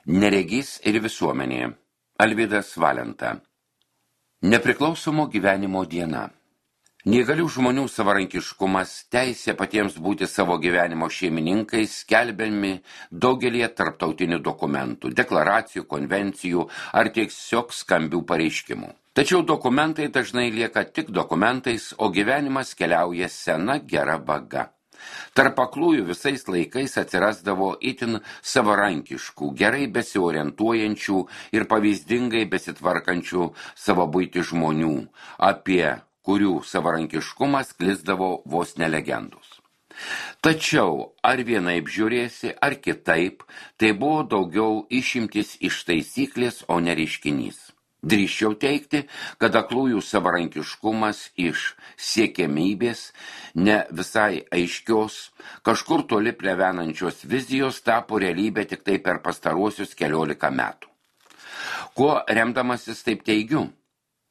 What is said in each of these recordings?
Neregys ir visuomenė. Alvydas Valenta. Nepriklausomo gyvenimo diena. Neįgalių žmonių savarankiškumas, teisė patiems būti savo gyvenimo šeimininkais skelbiami daugelie tarptautinių dokumentų, deklaracijų, konvencijų ar tiesiog skambių pareiškimų. Tačiau dokumentai dažnai lieka tik dokumentais, o gyvenimas keliauja sena gera vaga. Tarp aklųjų visais laikais atsirasdavo itin savarankiškų, gerai besiorientuojančių ir pavyzdingai besitvarkančių savo buitį žmonių, apie kurių savarankiškumą sklisdavo vos ne legendos. Tačiau ar vienaip žiūrėsi, ar kitaip, tai buvo daugiau išimtis iš taisyklės, o ne reiškinys. Drįsčiau teigti, kad aklųjų savarankiškumas iš siekiamybės, ne visai aiškios, kažkur toli plevenančios vizijos tapo realybė tik tai per pastaruosius 14 metų. Kuo remdamasis taip teigiu?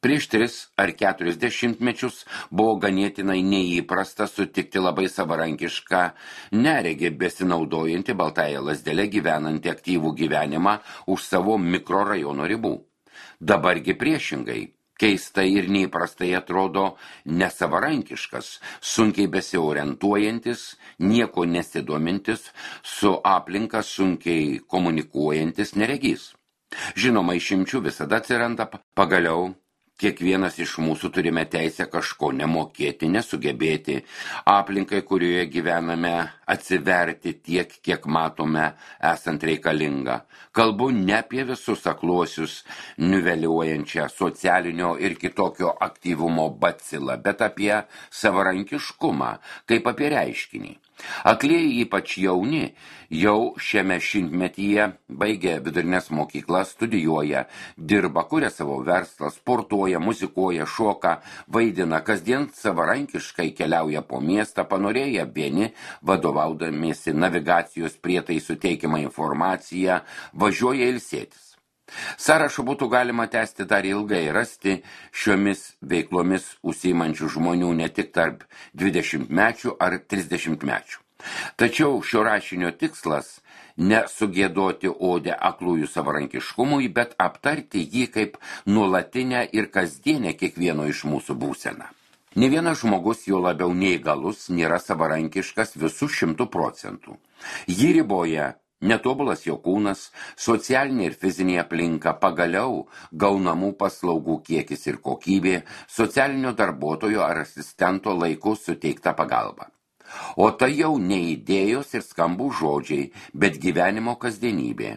Prieš 3 ar 4 dešimtmečius buvo ganėtinai neįprasta sutikti labai savarankišką, neregį besinaudojantį baltąją lazdelę gyvenantį aktyvų gyvenimą už savo mikrorajono ribų. Dabargi priešingai, keistai ir neįprastai atrodo nesavarankiškas, sunkiai besiorientuojantis, nieko nesidomintis, su aplinka sunkiai komunikuojantis neregys. Žinoma, išimčių visada atsiranda, pagaliau kiekvienas iš mūsų turime teisę kažko nemokėti, nesugebėti, aplinkai, kurioje gyvename, atsiverti tiek, kiek matome esant reikalinga. Kalbu ne apie visus akluosius, niveliuojančią socialinio ir kitokio aktyvumo bacilą, bet apie savarankiškumą, kaip apie reiškinį. Aklieji, ypač jauni, jau šiame šimtmetyje baigia vidurinės mokyklas, studijuoja, dirba, kuria savo verslą, sportuoja, muzikuoja, šoka, vaidina, kasdien savarankiškai keliauja po miestą, panorėję vieni, vadovaudamiesi navigacijos prietaisų teikiamą informaciją, važiuoja ilsėtis. Sąrašą būtų galima tęsti dar ilgai, rasti šiomis veiklomis užsiimančių žmonių ne tik tarp 20-mečių ar 30-mečių. Tačiau šio rašinio tikslas ne sugėdoti odę aklųjų savarankiškumui, bet aptarti jį kaip nuolatinę ir kasdienę kiekvieno iš mūsų būseną. Ne vienas žmogus, jo labiau neįgalus, nėra savarankiškas visų 100%. Jį riboja netobulas jo kūnas, socialinė ir fizinė aplinka, pagaliau gaunamų paslaugų kiekis ir kokybė, socialinio darbuotojo ar asistento laiku suteikta pagalba. O tai jau ne idėjos ir skambų žodžiai, bet gyvenimo kasdienybė.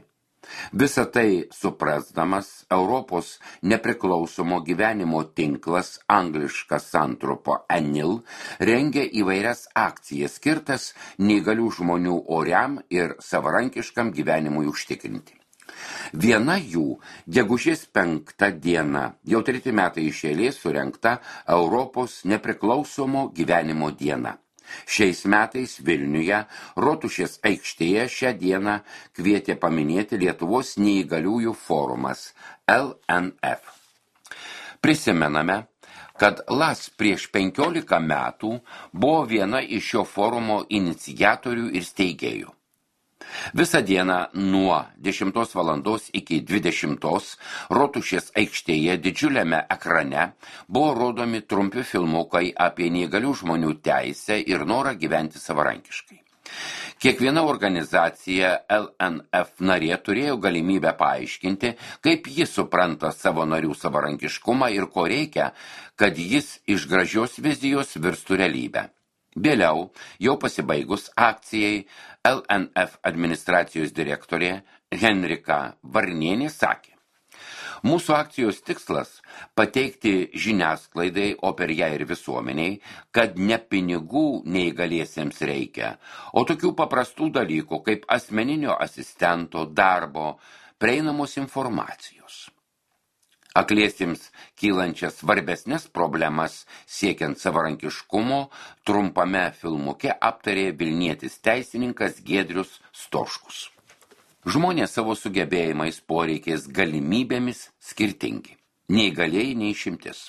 Visą tai suprasdamas, Europos nepriklausomo gyvenimo tinklas, angliška santrupa ANIL, rengia įvairias akcijas skirtas neįgalių žmonių oriam ir savarankiškam gyvenimui užtikrinti. Viena jų gegužės 5 diena, jau 3 metai iš eilės surengta Europos nepriklausomo gyvenimo diena. Šiais metais Vilniuje, Rotušės aikštėje šią dieną kvietė paminėti Lietuvos neįgaliųjų forumas LNF. Prisimename, kad LAS prieš 15 metų buvo viena iš šio forumo iniciatorių ir steigėjų. Visą dieną nuo 10 valandos iki 20 Rotušės aikštėje didžiuliame ekrane buvo rodomi trumpi filmukai apie neįgalių žmonių teisę ir norą gyventi savarankiškai. Kiekviena organizacija LNF narė turėjo galimybę paaiškinti, kaip ji supranta savo narių savarankiškumą ir ko reikia, kad jis iš gražios vizijos virstų realybę. Vėliau, jau pasibaigus akcijai, LNF administracijos direktorė Henrika Varnienė sakė: Mūsų akcijos tikslas – pateikti žiniasklaidai, o per ją ir visuomeniai, kad ne pinigų neįgaliesiems reikia, o tokių paprastų dalykų kaip asmeninio asistento, darbo, prieinamos informacijos. Akliesiems kylančias svarbesnės problemas siekiant savarankiškumo trumpame filmuke aptarė vilnietis teisininkas Giedrius Stoškus. Žmonės savo sugebėjimais, poreikiais, galimybėmis skirtingi. Neįgalieji neišimtis.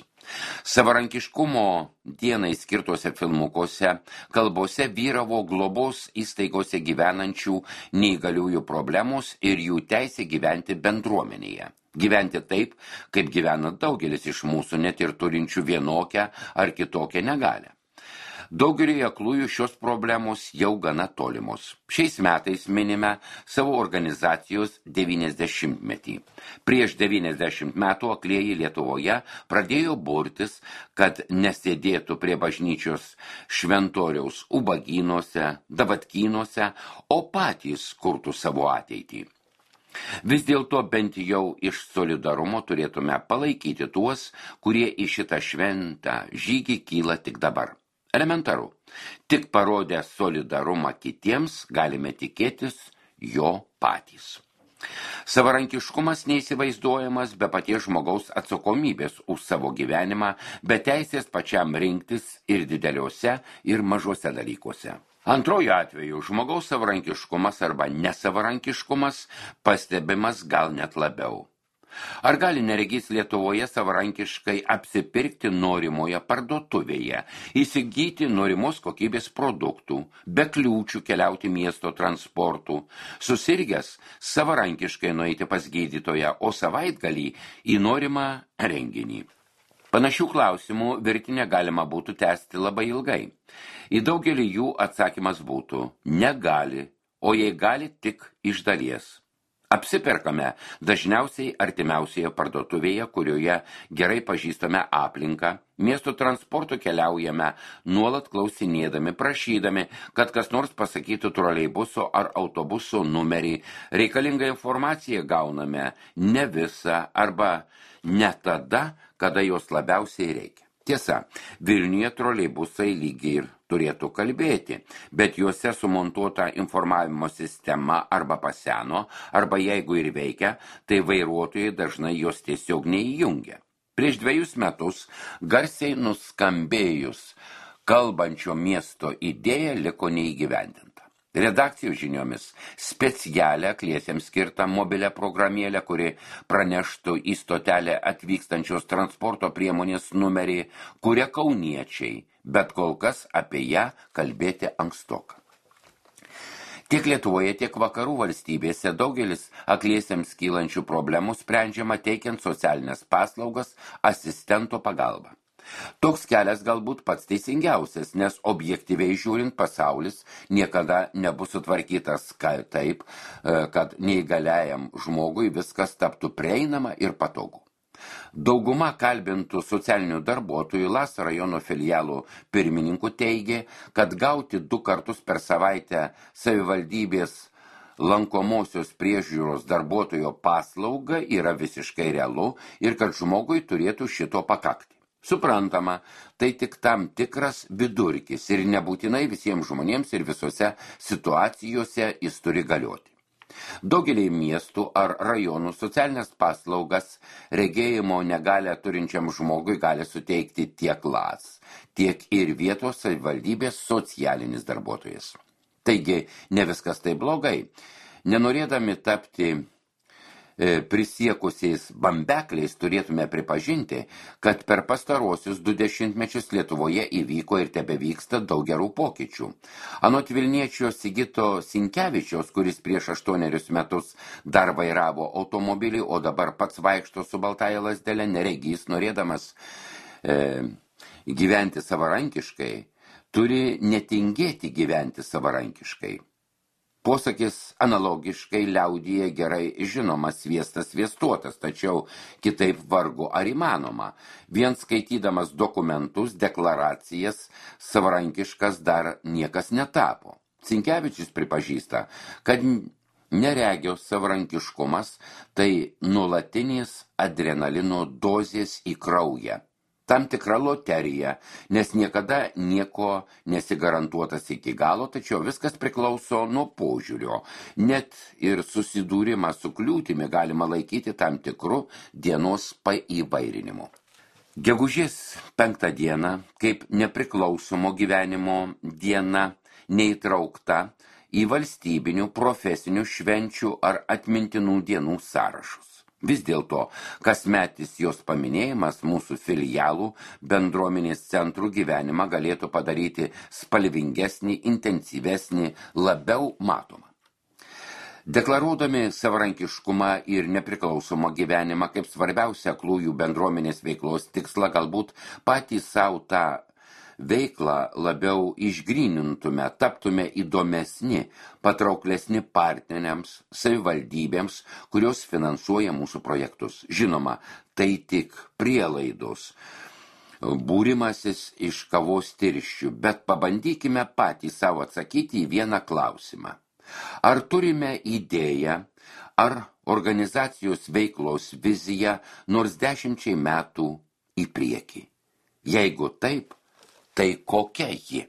Savarankiškumo dienai skirtuose filmukuose, kalbose vyravo globos įstaigose gyvenančių neįgaliųjų problemos ir jų teisė gyventi bendruomenėje. Gyventi taip, kaip gyvena daugelis iš mūsų, net ir turinčių vienokią ar kitokią negalią. Daugeliui aklųjų šios problemos jau gana tolimos. Šiais metais minime savo organizacijos 90-metį. Prieš 90 metų aklieji Lietuvoje pradėjo burtis, kad nesėdėtų prie bažnyčios šventoriaus ubagynuose, davatkynuose, o patys kurtų savo ateitį. Vis dėlto bent jau iš solidarumo turėtume palaikyti tuos, kurie į šitą šventą žygį kyla tik dabar. Elementaru. Tik parodę solidarumą kitiems galime tikėtis jo patys. Savarankiškumas neįsivaizduojamas be paties žmogaus atsakomybės už savo gyvenimą, be teisės pačiam rinktis ir dideliuose, ir mažuose dalykuose. Antroju atveju žmogaus savarankiškumas arba nesavarankiškumas pastebimas gal net labiau. Ar gali neregys Lietuvoje savarankiškai apsipirkti norimoje parduotuvėje, įsigyti norimos kokybės produktų, be kliūčių keliauti miesto transportu, susirgęs savarankiškai nueiti pas gydytoją, o savaitgalį į norimą renginį? Panašių klausimų virtinę galima būtų tęsti labai ilgai. Į daugelį jų atsakymas būtų negali, o jei gali tik iš dalies. Apsiperkame dažniausiai artimiausioje parduotuvėje, kurioje gerai pažįstame aplinką, miesto transportu keliaujame, nuolat klausinėdami, prašydami, kad kas nors pasakytų troleibuso ar autobuso numerį, reikalingą informaciją gauname ne visą arba ne tada, kada jos labiausiai reikia. Tiesa, Vilniuje troleibusai lygiai ir turėtų kalbėti, bet juose sumontuota informavimo sistema arba paseno, arba jeigu ir veikia, tai vairuotojai dažnai jos tiesiog neįjungia. Prieš 2 metus garsiai nuskambėjus kalbančio miesto idėja liko neįgyvendinta. Redakcijų žiniomis specialią akliesiems skirtą mobilią programėlę, kuri praneštų į stotelę atvykstančios transporto priemonės numerį, kuria kauniečiai, bet kol kas apie ją kalbėti ankstoka. Tiek Lietuvoje, tiek vakarų valstybėse daugelis akliesiems kylančių problemų sprendžiama teikiant socialinės paslaugas asistento pagalba. Toks kelias galbūt pats teisingiausias, nes objektyviai žiūrint pasaulis niekada nebus sutvarkytas taip, kad neįgaliajam žmogui viskas taptų prieinama ir patogu. Dauguma kalbintų socialinių darbuotojų Laso rajono filialų pirmininkų teigė, kad gauti 2 kartus per savaitę savivaldybės lankomosios priežiūros darbuotojo paslauga yra visiškai realu ir kad žmogui turėtų šito pakakti. Suprantama, tai tik tam tikras vidurkis ir nebūtinai visiems žmonėms ir visose situacijose jis turi galioti. Daugelį miestų ar rajonų socialinės paslaugas regėjimo negalią turinčiam žmogui gali suteikti tiek LAS, tiek ir vietos savivaldybės socialinis darbuotojas. Taigi, ne viskas tai blogai. Nenorėdami tapti prisiekusiais bambekliais turėtume pripažinti, kad per pastaruosius 20 mečius Lietuvoje įvyko ir tebevyksta daug gerų pokyčių. Anot Vilniečio Sigito Sinkevičiaus, kuris prieš 8 metus dar vairavo automobilį, o dabar pats vaikšto su baltąja lazdele, neregys, norėdamas gyventi savarankiškai, turi netingėti gyventi savarankiškai. Posakis analogiškai liaudyje gerai žinomas sviestas sviestuotas, tačiau kitaip vargu ar įmanoma. Vien skaitydamas dokumentus, deklaracijas, savarankiškas dar niekas netapo. Sinkevičius pripažįsta, kad neregio savarankiškumas tai nuolatinis adrenalino dozės į kraują. Tam tikra loterija, nes niekada nieko nesigarantuotas iki galo, tačiau viskas priklauso nuo požiūrio. Net ir susidūrimą su kliūtimi galima laikyti tam tikru dienos paįvairinimu. Gegužės 5 diena, kaip nepriklausomo gyvenimo diena, neįtraukta į valstybinių, profesinių švenčių ar atmintinų dienų sąrašus. Vis dėlto, kasmetis jos paminėjimas mūsų filialų bendruomenės centrų gyvenimą galėtų padaryti spalvingesnį, intensyvesnį, labiau matomą. Deklaruodami savarankiškumą ir nepriklausomą gyvenimą kaip svarbiausia aklųjų bendruomenės veiklos tikslą, galbūt patys savo tą veiklą labiau išgrynintume, taptume įdomesni, patrauklesni partneriams, savivaldybėms, kurios finansuoja mūsų projektus. Žinoma, tai tik prielaidos, būrimasis iš kavos tirščių, bet pabandykime patys savo atsakyti į vieną klausimą. Ar turime idėją, ar organizacijos veiklos viziją nors 10 metų į priekį? Jeigu taip, tai kokia ji?